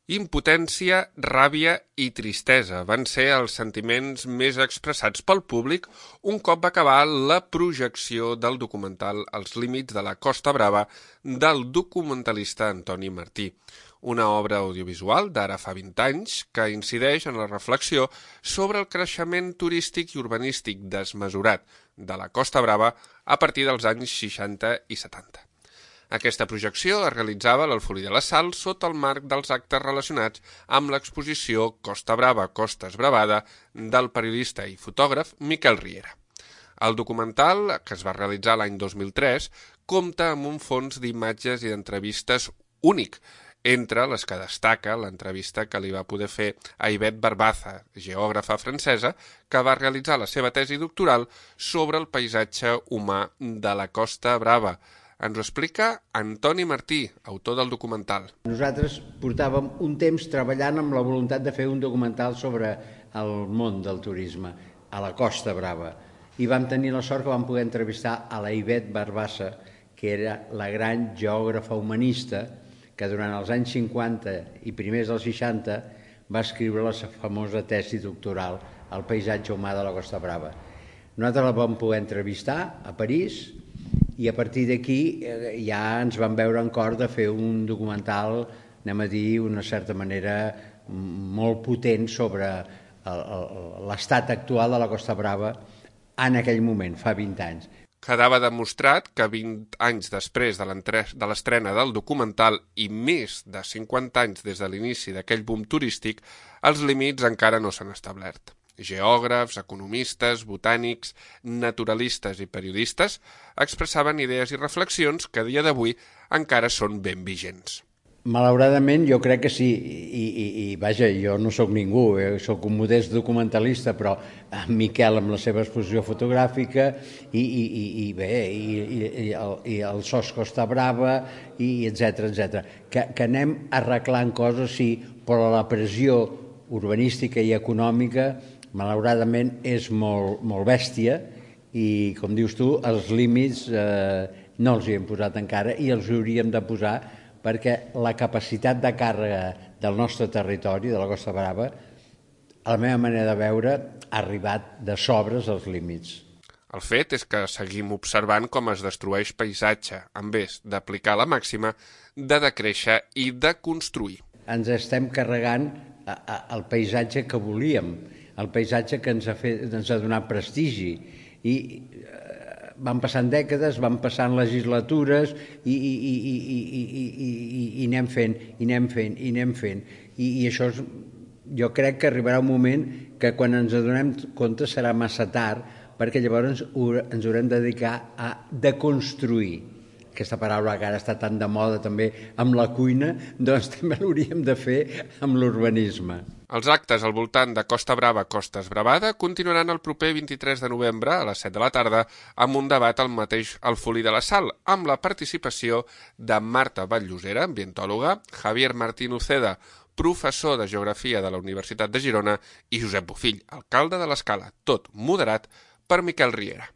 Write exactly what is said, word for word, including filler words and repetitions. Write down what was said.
Impotència, ràbia i tristesa van ser els sentiments més expressats pel públic un cop va acabar la projecció del documental Els límits de la Costa Brava del documentalista Antoni Martí, una obra audiovisual d'ara fa vint anys que incideix en la reflexió sobre el creixement turístic i urbanístic desmesurat de la Costa Brava a partir dels anys seixanta i setanta. Aquesta projecció es realitzava a l'Alfolí de la Sal sota el marc dels actes relacionats amb l'exposició Costa Brava, Costes Bravada del periodista i fotògraf Miquel Riera. El documental, que es va realitzar l'any dos mil tres, compta amb un fons d'imatges i d'entrevistes únic, entre les que destaca l'entrevista que li va poder fer a Yvette Barbaza, geògrafa francesa, que va realitzar la seva tesi doctoral sobre el paisatge humà de la Costa Brava. Ens ho explica Antoni Martí, autor del documental. Nosaltres portàvem un temps treballant amb la voluntat de fer un documental sobre el món del turisme a la Costa Brava. I vam tenir la sort que vam poder entrevistar a la Yvette Barbaza, que era la gran geògrafa humanista que durant els anys cinquanta i primers dels seixanta va escriure la famosa tesi doctoral El paisatge humà de la Costa Brava. Nosaltres la vam poder entrevistar a París i a partir d'aquí ja ens vam veure en cor de fer un documental, anem a dir, d'una certa manera molt potent sobre l'estat actual de la Costa Brava en aquell moment, fa vint anys. Quedava demostrat que vint anys després de l'estrena del documental i més de cinquanta anys des de l'inici d'aquell boom turístic, els límits encara no s'han establert. Geògrafs, economistes, botànics, naturalistes i periodistes expressaven idees i reflexions que a dia d'avui encara són ben vigents. Malauradament jo crec que sí, i, i, i vaja, jo no sóc ningú, eh? Sóc un modest documentalista, però en Miquel amb la seva exposició fotogràfica i, i, i, i bé, i, i, i, el, i el S O S Costa Brava, i etcètera, etcètera. Que, que anem arreglant coses, sí, però la pressió urbanística i econòmica malauradament és molt, molt bèstia i, com dius tu, els límits eh, no els hi hem posat encara i els hauríem de posar perquè la capacitat de càrrega del nostre territori, de la Costa Brava, a la meva manera de veure, ha arribat de sobres als límits. El fet és que seguim observant com es destrueix paisatge, en vez d'aplicar la màxima de decréixer i de construir. Ens estem carregant el paisatge que volíem, el paisatge que ens ha, fet, ens ha donat prestigi. I eh, van passant dècades, van passant legislatures i, i, i, i, i, i, i, i anem fent, i anem fent, i anem fent. I, i això és, jo crec que arribarà un moment que quan ens adonem compte serà massa tard, perquè llavors ens haurem de dedicar a deconstruir. Aquesta paraula que ara està tan de moda també amb la cuina, doncs també l'hauríem de fer amb l'urbanisme. Els actes al voltant de Costa Brava, Costes Bravada continuaran el proper vint-i-tres de novembre a les set de la tarda amb un debat al mateix Alfolí de la Sal, amb la participació de Marta Batllosera, ambientòloga, Javier Martín Uceda, professor de Geografia de la Universitat de Girona, i Josep Bofill, alcalde de l'Escala, tot moderat per Miquel Riera.